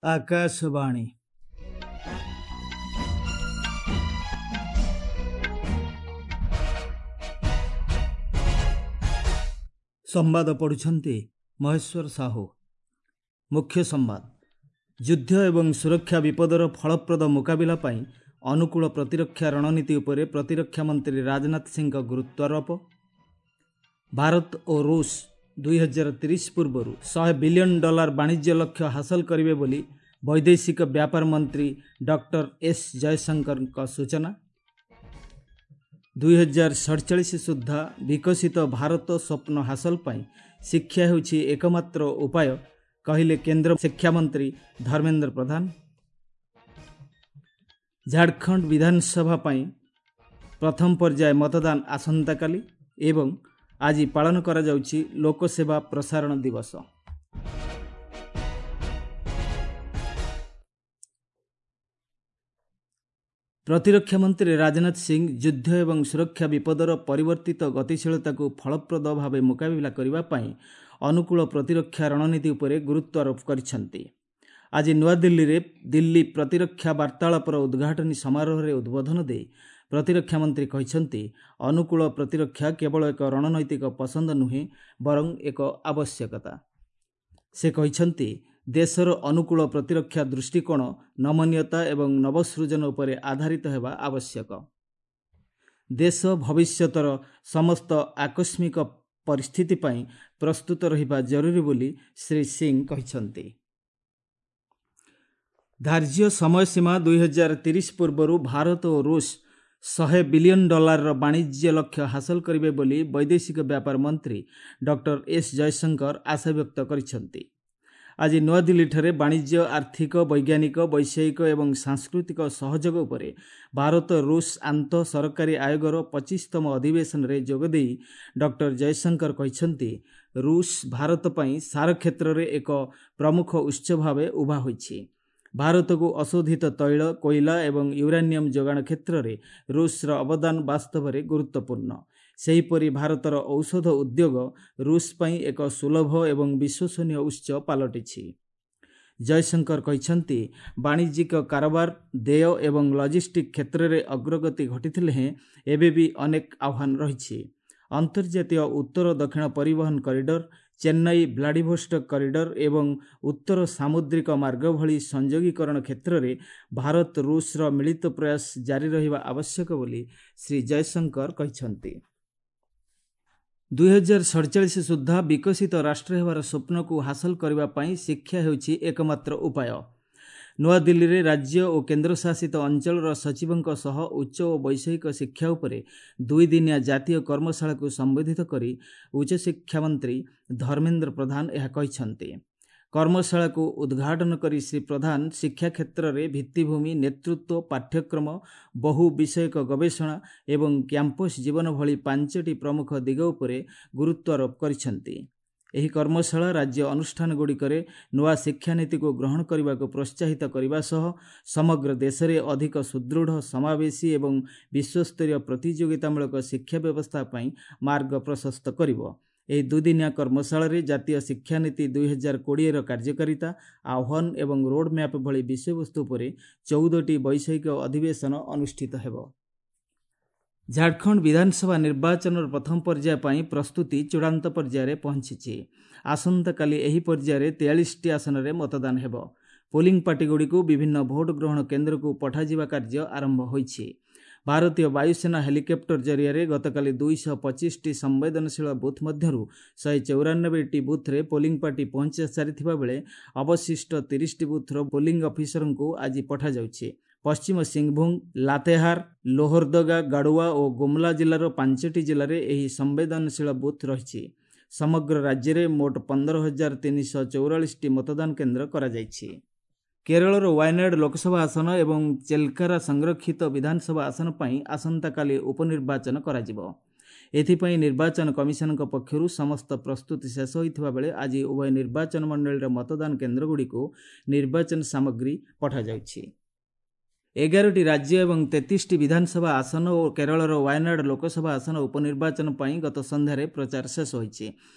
ଆକାଶବାଣୀ। ସମ୍ବାଦ ପଢ଼ୁଛନ୍ତି ମହେଶ୍ୱର ସାହୁ। ମୁଖ୍ୟ ସମ୍ବାଦ। ଯୁଦ୍ଧ ଏବଂ ସୁରକ୍ଷା ବିପଦର ଫଳପ୍ରଦ ମୁକାବିଲା ପାଇଁ ଅନୁକୂଳ ପ୍ରତିରକ୍ଷା ରଣନୀତି ଉପରେ ପ୍ରତିରକ୍ଷା ମନ୍ତ୍ରୀ ରାଜନାଥ ସିଂଙ୍କ ଗୁରୁତ୍ୱାରୋପ। ଭାରତ ଓ ରୁଷ 2030 ପୂର୍ବରୁ 100 ବିଲିୟନ ଡଲାର ବାଣିଜ୍ୟ ଲକ୍ଷ୍ୟ ହାସଲ କରିବେ ବୋଲି ବୈଦେଶିକ ବ୍ୟାପାର ମନ୍ତ୍ରୀ ଡକ୍ଟର ଏସ୍ ଜୟଶଙ୍କରଙ୍କ ସୂଚନା। 2047 ସୁଦ୍ଧା ବିକଶିତ ଭାରତ ସ୍ୱପ୍ନ ହାସଲ ପାଇଁ ଶିକ୍ଷା ହେଉଛି ଏକମାତ୍ର ଉପାୟ, କହିଲେ କେନ୍ଦ୍ର ଶିକ୍ଷାମନ୍ତ୍ରୀ ଧର୍ମେନ୍ଦ୍ର ପ୍ରଧାନ। ଝାଡ଼ଖଣ୍ଡ ବିଧାନସଭା ପାଇଁ ପ୍ରଥମ ପର୍ଯ୍ୟାୟ ମତଦାନ ଆସନ୍ତାକାଲି ଏବଂ ଆଜି ପାଳନ କରାଯାଉଛି ଲୋକସେବା ପ୍ରସାରଣ ଦିବସ। ପ୍ରତିରକ୍ଷା ମନ୍ତ୍ରୀ ରାଜନାଥ ସିଂ ଯୁଦ୍ଧ ଏବଂ ସୁରକ୍ଷା ବିପଦର ପରିବର୍ତ୍ତିତ ଗତିଶୀଳତାକୁ ଫଳପ୍ରଦ ଭାବେ ମୁକାବିଲା କରିବା ପାଇଁ ଅନୁକୂଳ ପ୍ରତିରକ୍ଷା ରଣନୀତି ଉପରେ ଗୁରୁତ୍ୱାରୋପ କରିଛନ୍ତି। ଆଜି ନୂଆଦିଲ୍ଲୀରେ ଦିଲ୍ଲୀ ପ୍ରତିରକ୍ଷା ବାର୍ତ୍ତାଳାପର ଉଦ୍ଘାଟନୀ ସମାରୋହରେ ଉଦ୍ବୋଧନ ଦେଇ ପ୍ରତିରକ୍ଷା ମନ୍ତ୍ରୀ କହିଛନ୍ତି, ଅନୁକୂଳ ପ୍ରତିରକ୍ଷା କେବଳ ଏକ ରଣନୈତିକ ପସନ୍ଦ ନୁହେଁ, ବରଂ ଏକ ଆବଶ୍ୟକତା। ସେ କହିଛନ୍ତି, ଦେଶର ଅନୁକୂଳ ପ୍ରତିରକ୍ଷା ଦୃଷ୍ଟିକୋଣ ନମନୀୟତା ଏବଂ ନବସୃଜନ ଉପରେ ଆଧାରିତ ହେବା ଆବଶ୍ୟକ। ଦେଶ ଭବିଷ୍ୟତର ସମସ୍ତ ଆକସ୍ମିକ ପରିସ୍ଥିତି ପାଇଁ ପ୍ରସ୍ତୁତ ରହିବା ଜରୁରୀ ବୋଲି ଶ୍ରୀ ସିଂ କହିଛନ୍ତି। ଧାର୍ଯ୍ୟ ସମୟସୀମା 2030 ପୂର୍ବରୁ ଭାରତ ଓ ରୁଷ 100 ବିଲିୟନ ଡଲାରର ବାଣିଜ୍ୟ ଲକ୍ଷ୍ୟ ହାସଲ କରିବେ ବୋଲି ବୈଦେଶିକ ବ୍ୟାପାର ମନ୍ତ୍ରୀ ଡକ୍ଟର ଏସ୍ ଜୟଶଙ୍କର ଆଶାବ୍ୟକ୍ତ କରିଛନ୍ତି। ଆଜି ନୂଆଦିଲ୍ଲୀଠାରେ ବାଣିଜ୍ୟ, ଆର୍ଥିକ, ବୈଜ୍ଞାନିକ, ବୈଷୟିକ ଏବଂ ସାଂସ୍କୃତିକ ସହଯୋଗ ଉପରେ ଭାରତ ରୁଷ ଆନ୍ତଃ ସରକାରୀ ଆୟୋଗର 25ତମ ଅଧିବେଶନରେ ଯୋଗଦେଇ ଡକ୍ଟର ଜୟଶଙ୍କର କହିଛନ୍ତି, ରୁଷ ଭାରତ ପାଇଁ ସାର କ୍ଷେତ୍ରରେ ଏକ ପ୍ରମୁଖ ଉତ୍ସ ଭାବେ ଉଭା ହୋଇଛି। ଭାରତକୁ ଅଶୋଧିତ ତୈଳ, କୋଇଲା ଏବଂ ୟୁରାନିୟମ ଯୋଗାଣ କ୍ଷେତ୍ରରେ ରୁଷର ଅବଦାନ ବାସ୍ତବରେ ଗୁରୁତ୍ୱପୂର୍ଣ୍ଣ। ସେହିପରି ଭାରତର ଔଷଧ ଉଦ୍ୟୋଗ ରୁଷ ପାଇଁ ଏକ ସୁଲଭ ଏବଂ ବିଶ୍ୱସନୀୟ ଉତ୍ସ ପାଲଟିଛି। ଜୟଶଙ୍କର କହିଛନ୍ତି, ବାଣିଜ୍ୟିକ କାରବାର, ଦେୟ ଏବଂ ଲଜିଷ୍ଟିକ୍ କ୍ଷେତ୍ରରେ ଅଗ୍ରଗତି ଘଟିଥିଲେ ହେଁ ଏବେ ବି ଅନେକ ଆହ୍ୱାନ ରହିଛି। ଅନ୍ତର୍ଜାତୀୟ ଉତ୍ତର ଦକ୍ଷିଣ ପରିବହନ କରିଡର, ଚେନ୍ନାଇ ଭ୍ଲାଡିଭୋଷ୍ଟକ କରିଡର ଏବଂ ଉତ୍ତର ସାମୁଦ୍ରିକ ମାର୍ଗ ଭଳି ସଂଯୋଗୀକରଣ କ୍ଷେତ୍ରରେ ଭାରତ ରୁଷର ମିଳିତ ପ୍ରୟାସ ଜାରି ରହିବା ଆବଶ୍ୟକ ବୋଲି ଶ୍ରୀ ଜୟଶଙ୍କର କହିଛନ୍ତି। 2047 ସୁଦ୍ଧା ବିକଶିତ ରାଷ୍ଟ୍ର ହେବାର ସ୍ୱପ୍ନକୁ ହାସଲ କରିବା ପାଇଁ ଶିକ୍ଷା ହେଉଛି ଏକମାତ୍ର ଉପାୟ। ନୂଆଦିଲ୍ଲୀରେ ରାଜ୍ୟ ଓ କେନ୍ଦ୍ରଶାସିତ ଅଞ୍ଚଳର ସଚିବଙ୍କ ସହ ଉଚ୍ଚ ଓ ବୈଷୟିକ ଶିକ୍ଷା ଉପରେ ଦୁଇଦିନିଆ ଜାତୀୟ କର୍ମଶାଳାକୁ ସମ୍ବୋଧିତ କରି ଉଚ୍ଚଶିକ୍ଷା ମନ୍ତ୍ରୀ ଧର୍ମେନ୍ଦ୍ର ପ୍ରଧାନ ଏହା କହିଛନ୍ତି। କର୍ମଶାଳାକୁ ଉଦ୍ଘାଟନ କରି ଶ୍ରୀ ପ୍ରଧାନ ଶିକ୍ଷା କ୍ଷେତ୍ରରେ ଭିତ୍ତିଭୂମି, ନେତୃତ୍ୱ, ପାଠ୍ୟକ୍ରମ, ବହୁ ବିଷୟକ ଗବେଷଣା ଏବଂ କ୍ୟାମ୍ପସ୍ ଜୀବନ ଭଳି 5ଟି ପ୍ରମୁଖ ଦିଗ ଉପରେ ଗୁରୁତ୍ୱାରୋପ କରିଛନ୍ତି। ଏହି କର୍ମଶାଳା ରାଜ୍ୟ ଅନୁଷ୍ଠାନଗୁଡ଼ିକରେ ନୂଆ ଶିକ୍ଷାନୀତିକୁ ଗ୍ରହଣ କରିବାକୁ ପ୍ରୋତ୍ସାହିତ କରିବା ସହ ସମଗ୍ର ଦେଶରେ ଅଧିକ ସୁଦୃଢ଼, ସମାବେଶୀ ଏବଂ ବିଶ୍ୱସ୍ତରୀୟ ପ୍ରତିଯୋଗିତାମୂଳକ ଶିକ୍ଷା ବ୍ୟବସ୍ଥା ପାଇଁ ମାର୍ଗ ପ୍ରଶସ୍ତ କରିବ। ଏହି ଦୁଇଦିନିଆ କର୍ମଶାଳାରେ ଜାତୀୟ ଶିକ୍ଷାନୀତି 2020ର କାର୍ଯ୍ୟକାରିତା, ଆହ୍ୱାନ ଏବଂ ରୋଡ୍ମ୍ୟାପ୍ ଭଳି ବିଷୟବସ୍ତୁ ଉପରେ 14ଟି ବୈଷୟିକ ଅଧିବେଶନ ଅନୁଷ୍ଠିତ ହେବ। ଝାଡ଼ଖଣ୍ଡ ବିଧାନସଭା ନିର୍ବାଚନର ପ୍ରଥମ ପର୍ଯ୍ୟାୟ ପାଇଁ ପ୍ରସ୍ତୁତି ଚୂଡ଼ାନ୍ତ ପର୍ଯ୍ୟାୟରେ ପହଞ୍ଚିଛି। ଆସନ୍ତାକାଲି ଏହି ପର୍ଯ୍ୟାୟରେ 43ଟି ଆସନରେ ମତଦାନ ହେବ। ପୋଲିଂ ପାର୍ଟିଗୁଡ଼ିକୁ ବିଭିନ୍ନ ଭୋଟ ଗ୍ରହଣ କେନ୍ଦ୍ରକୁ ପଠାଯିବା କାର୍ଯ୍ୟ ଆରମ୍ଭ ହୋଇଛି। ଭାରତୀୟ ବାୟୁସେନା ହେଲିକପ୍ଟର ଜରିଆରେ ଗତକାଲି 225ଟି ସମ୍ବେଦନଶୀଳ ବୁଥ୍ ମଧ୍ୟରୁ 194ଟି ବୁଥ୍ରେ ପୋଲିଂ ପାର୍ଟି ପହଞ୍ଚି ସାରିଥିବା ବେଳେ ଅବଶିଷ୍ଟ 30ଟି ବୁଥ୍ର ପୋଲିଂ ଅଫିସରଙ୍କୁ ଆଜି ପଠାଯାଉଛି। ପଶ୍ଚିମ ସିଂଭୂମ, ଲାତେହାର, ଲୋହରଦଗା, ଗାଡ଼ୁଆ ଓ ଗୁମଲା ଜିଲ୍ଲାର 5ଟି ଜିଲ୍ଲାରେ ଏହି ସମ୍ବେଦନଶୀଳ ବୁଥ୍ ରହିଛି। ସମଗ୍ର ରାଜ୍ୟରେ ମୋଟ 15,344ଟି ମତଦାନ କେନ୍ଦ୍ର କରାଯାଇଛି। କେରଳର ୱାୟନାଡ ଲୋକସଭା ଆସନ ଏବଂ ଚେଲକାରା ସଂରକ୍ଷିତ ବିଧାନସଭା ଆସନ ପାଇଁ ଆସନ୍ତାକାଲି ଉପନିର୍ବାଚନ କରାଯିବ। ଏଥିପାଇଁ ନିର୍ବାଚନ କମିଶନଙ୍କ ପକ୍ଷରୁ ସମସ୍ତ ପ୍ରସ୍ତୁତି ଶେଷ ହୋଇଥିବା ବେଳେ ଆଜି ଉଭୟ ନିର୍ବାଚନ ମଣ୍ଡଳୀର ମତଦାନ କେନ୍ଦ୍ରଗୁଡ଼ିକୁ ନିର୍ବାଚନ ସାମଗ୍ରୀ ପଠାଯାଉଛି। 11ଟି ରାଜ୍ୟ ଏବଂ 33ଟି ବିଧାନସଭା ଆସନ ଓ କେରଳର ୱାୟନାଡ଼ ଲୋକସଭା ଆସନ ଉପନିର୍ବାଚନ ପାଇଁ ଗତ ସନ୍ଧ୍ୟାରେ ପ୍ରଚାର ଶେଷ ହୋଇଛି।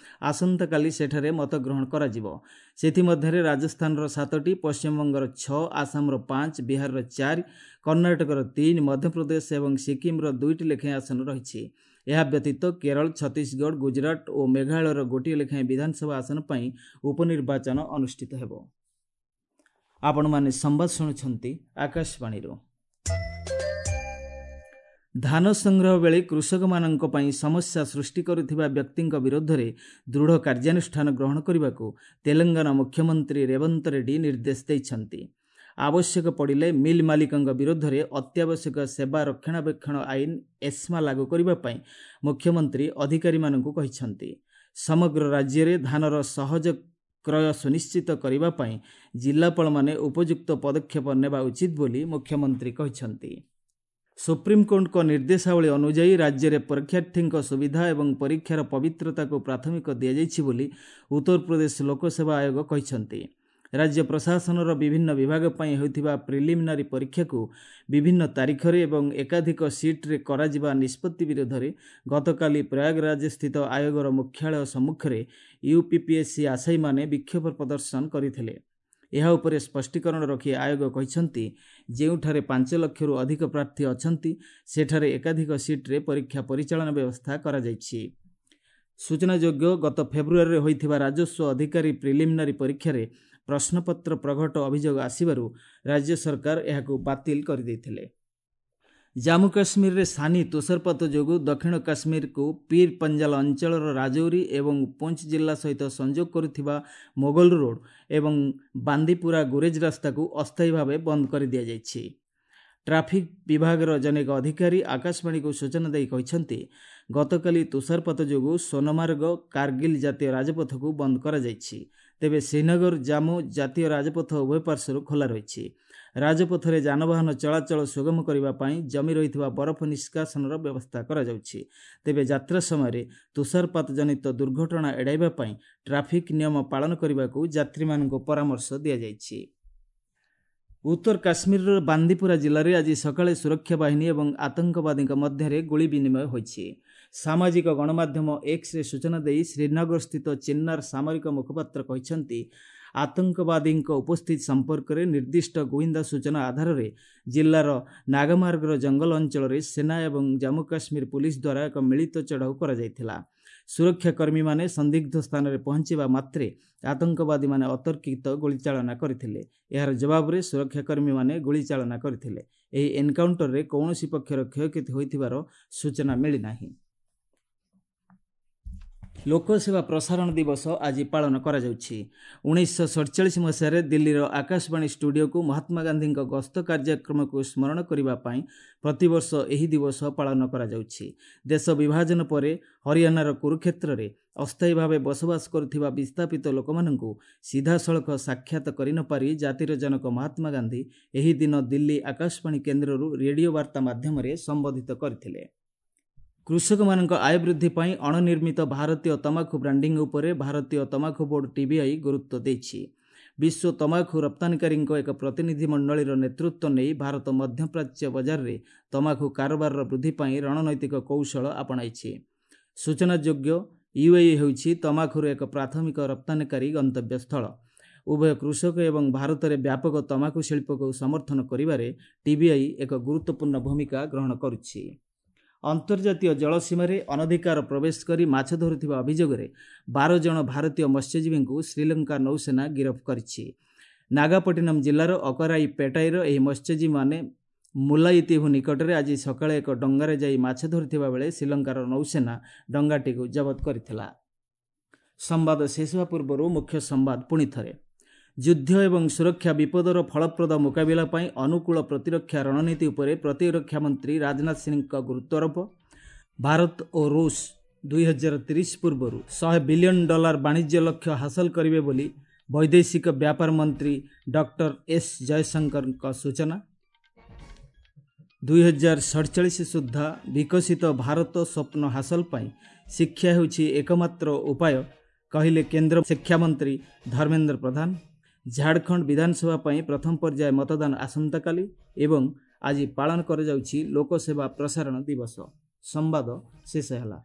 ଆସନ୍ତାକାଲି ସେଠାରେ ମତଗ୍ରହଣ କରାଯିବ। ସେଥିମଧ୍ୟରେ ରାଜସ୍ଥାନର 7ଟି, ପଶ୍ଚିମବଙ୍ଗର 6, ଆସାମର 5, ବିହାରର 4, କର୍ଣ୍ଣାଟକର 3, ମଧ୍ୟପ୍ରଦେଶ ଏବଂ ସିକିମ୍ର 2ଟି ଲେଖାଏଁ ଆସନ ରହିଛି। ଏହା ବ୍ୟତୀତ କେରଳ, ଛତିଶଗଡ଼, ଗୁଜରାଟ ଓ ମେଘାଳୟର ଗୋଟିଏ ଲେଖାଏଁ ବିଧାନସଭା ଆସନ ପାଇଁ ଉପନିର୍ବାଚନ ଅନୁଷ୍ଠିତ ହେବ। ଆପଣମାନେ ସମ୍ବାଦ ଶୁଣୁଛନ୍ତି ଆକାଶବାଣୀରୁ। ଧାନ ସଂଗ୍ରହ ବେଳେ କୃଷକମାନଙ୍କ ପାଇଁ ସମସ୍ୟା ସୃଷ୍ଟି କରୁଥିବା ବ୍ୟକ୍ତିଙ୍କ ବିରୋଧରେ ଦୃଢ଼ କାର୍ଯ୍ୟାନୁଷ୍ଠାନ ଗ୍ରହଣ କରିବାକୁ ତେଲେଙ୍ଗାନା ମୁଖ୍ୟମନ୍ତ୍ରୀ ରେବନ୍ତ ରେଡ୍ଡି ନିର୍ଦ୍ଦେଶ ଦେଇଛନ୍ତି। ଆବଶ୍ୟକ ପଡ଼ିଲେ ମିଲ୍ ମାଲିକଙ୍କ ବିରୋଧରେ ଅତ୍ୟାବଶ୍ୟକ ସେବା ରକ୍ଷଣାବେକ୍ଷଣ ଆଇନ ଏସ୍ମା ଲାଗୁ କରିବା ପାଇଁ ମୁଖ୍ୟମନ୍ତ୍ରୀ ଅଧିକାରୀମାନଙ୍କୁ କହିଛନ୍ତି। ସମଗ୍ର ରାଜ୍ୟରେ ଧାନର ସହଜ କ୍ରୟ ସୁନିଶ୍ଚିତ କରିବା ପାଇଁ ଜିଲ୍ଲାପାଳମାନେ ଉପଯୁକ୍ତ ପଦକ୍ଷେପ ନେବା ଉଚିତ ବୋଲି ମୁଖ୍ୟମନ୍ତ୍ରୀ କହିଛନ୍ତି। ସୁପ୍ରିମକୋର୍ଟଙ୍କ ନିର୍ଦ୍ଦେଶାବଳୀ ଅନୁଯାୟୀ ରାଜ୍ୟରେ ପରୀକ୍ଷାର୍ଥୀଙ୍କ ସୁବିଧା ଏବଂ ପରୀକ୍ଷାର ପବିତ୍ରତାକୁ ପ୍ରାଥମିକ ଦିଆଯାଇଛି ବୋଲି ଉତ୍ତରପ୍ରଦେଶ ଲୋକସେବା ଆୟୋଗ କହିଛନ୍ତି। ରାଜ୍ୟ ପ୍ରଶାସନର ବିଭିନ୍ନ ବିଭାଗ ପାଇଁ ହେଉଥିବା ପ୍ରିଲିମିନାରୀ ପରୀକ୍ଷାକୁ ବିଭିନ୍ନ ତାରିଖରେ ଏବଂ ଏକାଧିକ ସିଟ୍ରେ କରାଯିବା ନିଷ୍ପତ୍ତି ବିରୋଧରେ ଗତକାଲି ପ୍ରୟାଗରାଜସ୍ଥିତ ଆୟୋଗର ମୁଖ୍ୟାଳୟ ସମ୍ମୁଖରେ ୟୁପିପିଏସ୍ସି ଆଶାୟୀମାନେ ବିକ୍ଷୋଭ ପ୍ରଦର୍ଶନ କରିଥିଲେ। ଏହା ଉପରେ ସ୍ପଷ୍ଟୀକରଣ ରଖି ଆୟୋଗ କହିଛନ୍ତି, ଯେଉଁଠାରେ 5 ଲକ୍ଷରୁ ଅଧିକ ପ୍ରାର୍ଥୀ ଅଛନ୍ତି ସେଠାରେ ଏକାଧିକ ସିଟ୍ରେ ପରୀକ୍ଷା ପରିଚାଳନା ବ୍ୟବସ୍ଥା କରାଯାଇଛି। ସୂଚନାଯୋଗ୍ୟ, ଗତ ଫେବୃଆରୀରେ ହୋଇଥିବା ରାଜସ୍ୱ ଅଧିକାରୀ ପ୍ରିଲିମିନାରୀ ପରୀକ୍ଷାରେ ପ୍ରଶ୍ନପତ୍ର ପ୍ରଘଟ ଅଭିଯୋଗ ଆସିବାରୁ ରାଜ୍ୟ ସରକାର ଏହାକୁ ବାତିଲ କରିଦେଇଥିଲେ। ଜାମ୍ମୁ କାଶ୍ମୀରରେ ସାନି ତୁଷାରପାତ ଯୋଗୁଁ ଦକ୍ଷିଣ କାଶ୍ମୀରକୁ ପୀର ପଞ୍ଜାଲ ଅଞ୍ଚଳର ରାଜୌରୀ ଏବଂ ପୁଞ୍ଚ ଜିଲ୍ଲା ସହିତ ସଂଯୋଗ କରୁଥିବା ମୋଗଲ ରୋଡ୍ ଏବଂ ବାନ୍ଦିପୁରା ଗୁରେଜ ରାସ୍ତାକୁ ଅସ୍ଥାୟୀ ଭାବେ ବନ୍ଦ କରିଦିଆଯାଇଛି। ଟ୍ରାଫିକ୍ ବିଭାଗର ଜନୈକ ଅଧିକାରୀ ଆକାଶବାଣୀକୁ ସୂଚନା ଦେଇ କହିଛନ୍ତି, ଗତକାଲି ତୁଷାରପାତ ଯୋଗୁଁ ସୋନମାର୍ଗ କାର୍ଗିଲ ଜାତୀୟ ରାଜପଥକୁ ବନ୍ଦ କରାଯାଇଛି। ତେବେ ଶ୍ରୀନଗର ଜାମ୍ମୁ ଜାତୀୟ ରାଜପଥ ଉଭୟ ପାର୍ଶ୍ୱରୁ ଖୋଲା ରହିଛି। ରାଜପଥରେ ଯାନବାହନ ଚଳାଚଳ ସୁଗମ କରିବା ପାଇଁ ଜମି ରହିଥିବା ବରଫ ନିଷ୍କାସନର ବ୍ୟବସ୍ଥା କରାଯାଉଛି। ତେବେ ଯାତ୍ରା ସମୟରେ ତୁଷାରପାତ ଜନିତ ଦୁର୍ଘଟଣା ଏଡ଼ାଇବା ପାଇଁ ଟ୍ରାଫିକ୍ ନିୟମ ପାଳନ କରିବାକୁ ଯାତ୍ରୀମାନଙ୍କୁ ପରାମର୍ଶ ଦିଆଯାଇଛି। ଉତ୍ତର କାଶ୍ମୀରର ବାନ୍ଦିପୁରା ଜିଲ୍ଲାରେ ଆଜି ସକାଳେ ସୁରକ୍ଷା ବାହିନୀ ଏବଂ ଆତଙ୍କବାଦୀଙ୍କ ମଧ୍ୟରେ ଗୁଳି ବିନିମୟ ହୋଇଛି। ସାମାଜିକ ଗଣମାଧ୍ୟମ ଏକ୍ସରେ ସୂଚନା ଦେଇ ଶ୍ରୀନଗରସ୍ଥିତ ଚିନ୍ନାର ସାମରିକ ମୁଖପାତ୍ର କହିଛନ୍ତି, ଆତଙ୍କବାଦୀଙ୍କ ଉପସ୍ଥିତି ସମ୍ପର୍କରେ ନିର୍ଦ୍ଦିଷ୍ଟ ଗୁଇନ୍ଦା ସୂଚନା ଆଧାରରେ ଜିଲ୍ଲାର ନାଗମାର୍ଗର ଜଙ୍ଗଲ ଅଞ୍ଚଳରେ ସେନା ଏବଂ ଜାମ୍ମୁ କାଶ୍ମୀର ପୁଲିସ ଦ୍ୱାରା ଏକ ମିଳିତ ଚଢ଼ାଉ କରାଯାଇଥିଲା। ସୁରକ୍ଷାକର୍ମୀମାନେ ସନ୍ଦିଗ୍ଧ ସ୍ଥାନରେ ପହଞ୍ଚିବା ମାତ୍ରେ ଆତଙ୍କବାଦୀମାନେ ଅତର୍କିତ ଗୁଳିଚାଳନା କରିଥିଲେ। ଏହାର ଜବାବରେ ସୁରକ୍ଷାକର୍ମୀମାନେ ଗୁଳିଚାଳନା କରିଥିଲେ। ଏହି ଏନ୍କାଉଣ୍ଟରରେ କୌଣସି ପକ୍ଷର କ୍ଷୟକ୍ଷତି ହୋଇଥିବାର ସୂଚନା ମିଳିନାହିଁ। ଲୋକସେବା ପ୍ରସାରଣ ଦିବସ ଆଜି ପାଳନ କରାଯାଉଛି। 1947 ମସିହାରେ ଦିଲ୍ଲୀର ଆକାଶବାଣୀ ଷ୍ଟୁଡିଓକୁ ମହାତ୍ମା ଗାନ୍ଧୀଙ୍କ ଗସ୍ତ କାର୍ଯ୍ୟକ୍ରମକୁ ସ୍ମରଣ କରିବା ପାଇଁ ପ୍ରତିବର୍ଷ ଏହି ଦିବସ ପାଳନ କରାଯାଉଛି। ଦେଶ ବିଭାଜନ ପରେ ହରିୟାଣାର କୁରୁକ୍ଷେତ୍ରରେ ଅସ୍ଥାୟୀ ଭାବେ ବସବାସ କରୁଥିବା ବିସ୍ଥାପିତ ଲୋକମାନଙ୍କୁ ସିଧାସଳଖ ସାକ୍ଷାତ କରିନପାରି ଜାତିର ଜନକ ମହାତ୍ମା ଗାନ୍ଧୀ ଏହି ଦିନ ଦିଲ୍ଲୀ ଆକାଶବାଣୀ କେନ୍ଦ୍ରରୁ ରେଡିଓ ବାର୍ତ୍ତା ମାଧ୍ୟମରେ ସମ୍ବୋଧିତ କରିଥିଲେ। କୃଷକମାନଙ୍କ ଆୟ ବୃଦ୍ଧି ପାଇଁ ଅଣନିର୍ମିତ ଭାରତୀୟ ତମାଖୁ ବ୍ରାଣ୍ଡିଂ ଉପରେ ଭାରତୀୟ ତମାଖୁ ବୋର୍ଡ ଟିବିଆଇ ଗୁରୁତ୍ୱ ଦେଇଛି। ବିଶ୍ୱ ତମାଖୁ ରପ୍ତାନିକାରୀଙ୍କ ଏକ ପ୍ରତିନିଧି ମଣ୍ଡଳୀର ନେତୃତ୍ୱ ନେଇ ଭାରତ ମଧ୍ୟପ୍ରାଚ୍ୟ ବଜାରରେ ତମାଖୁ କାରବାରର ବୃଦ୍ଧି ପାଇଁ ରଣନୈତିକ କୌଶଳ ଆପଣାଇଛି। ସୂଚନାଯୋଗ୍ୟ, ୟୁଏଇ ହେଉଛି ତମାଖୁର ଏକ ପ୍ରାଥମିକ ରପ୍ତାନିକାରୀ ଗନ୍ତବ୍ୟସ୍ଥଳ। ଉଭୟ କୃଷକ ଏବଂ ଭାରତରେ ବ୍ୟାପକ ତମାଖୁ ଶିଳ୍ପକୁ ସମର୍ଥନ କରିବାରେ ଟିବିଆଇ ଏକ ଗୁରୁତ୍ୱପୂର୍ଣ୍ଣ ଭୂମିକା ଗ୍ରହଣ କରୁଛି। ଅନ୍ତର୍ଜାତୀୟ ଜଳସୀମାରେ ଅନଧିକାର ପ୍ରବେଶ କରି ମାଛ ଧରୁଥିବା ଅଭିଯୋଗରେ 12 ଜଣ ଭାରତୀୟ ମତ୍ସ୍ୟଜୀବୀଙ୍କୁ ଶ୍ରୀଲଙ୍କା ନୌସେନା ଗିରଫ କରିଛି। ନାଗାପଟ୍ଟିନମ୍ ଜିଲ୍ଲାର ଅକରାଇ ପେଟାଇର ଏହି ମତ୍ସ୍ୟଜୀବୀମାନେ ମୁଲାଇତିଭୁ ନିକଟରେ ଆଜି ସକାଳେ ଏକ ଡଙ୍ଗାରେ ଯାଇ ମାଛ ଧରୁଥିବା ବେଳେ ଶ୍ରୀଲଙ୍କାର ନୌସେନା ଡଙ୍ଗାଟିକୁ ଜବତ କରିଥିଲା। ସମ୍ବାଦ ଶେଷ ହେବା ପୂର୍ବରୁ ମୁଖ୍ୟ ସମ୍ବାଦ ପୁଣି ଥରେ। ଯୁଦ୍ଧ ଏବଂ ସୁରକ୍ଷା ବିପଦର ଫଳପ୍ରଦ ମୁକାବିଲା ପାଇଁ ଅନୁକୂଳ ପ୍ରତିରକ୍ଷା ରଣନୀତି ଉପରେ ପ୍ରତିରକ୍ଷା ମନ୍ତ୍ରୀ ରାଜନାଥ ସିଂଙ୍କ ଗୁରୁତ୍ୱାରୋପ। ଭାରତ ଓ ରୁଷ 2030 ପୂର୍ବରୁ $100 ବିଲିୟନ ବାଣିଜ୍ୟ ଲକ୍ଷ୍ୟ ହାସଲ କରିବେ ବୋଲି ବୈଦେଶିକ ବ୍ୟାପାର ମନ୍ତ୍ରୀ ଡକ୍ଟର ଏସ୍ ଜୟଶଙ୍କରଙ୍କ ସୂଚନା। 2047 ସୁଦ୍ଧା ବିକଶିତ ଭାରତ ସ୍ୱପ୍ନ ହାସଲ ପାଇଁ ଶିକ୍ଷା ହେଉଛି ଏକମାତ୍ର ଉପାୟ, କହିଲେ କେନ୍ଦ୍ର ଶିକ୍ଷାମନ୍ତ୍ରୀ ଧର୍ମେନ୍ଦ୍ର ପ୍ରଧାନ। ଝାଡ଼ଖଣ୍ଡ ବିଧାନସଭା ପାଇଁ ପ୍ରଥମ ପର୍ଯ୍ୟାୟ ମତଦାନ ଆସନ୍ତାକାଲି ଏବଂ ଆଜି ପାଳନ କରାଯାଉଛି ଲୋକସେବା ପ୍ରସାରଣ ଦିବସ। ସମ୍ବାଦ ଶେଷ ହେଲା।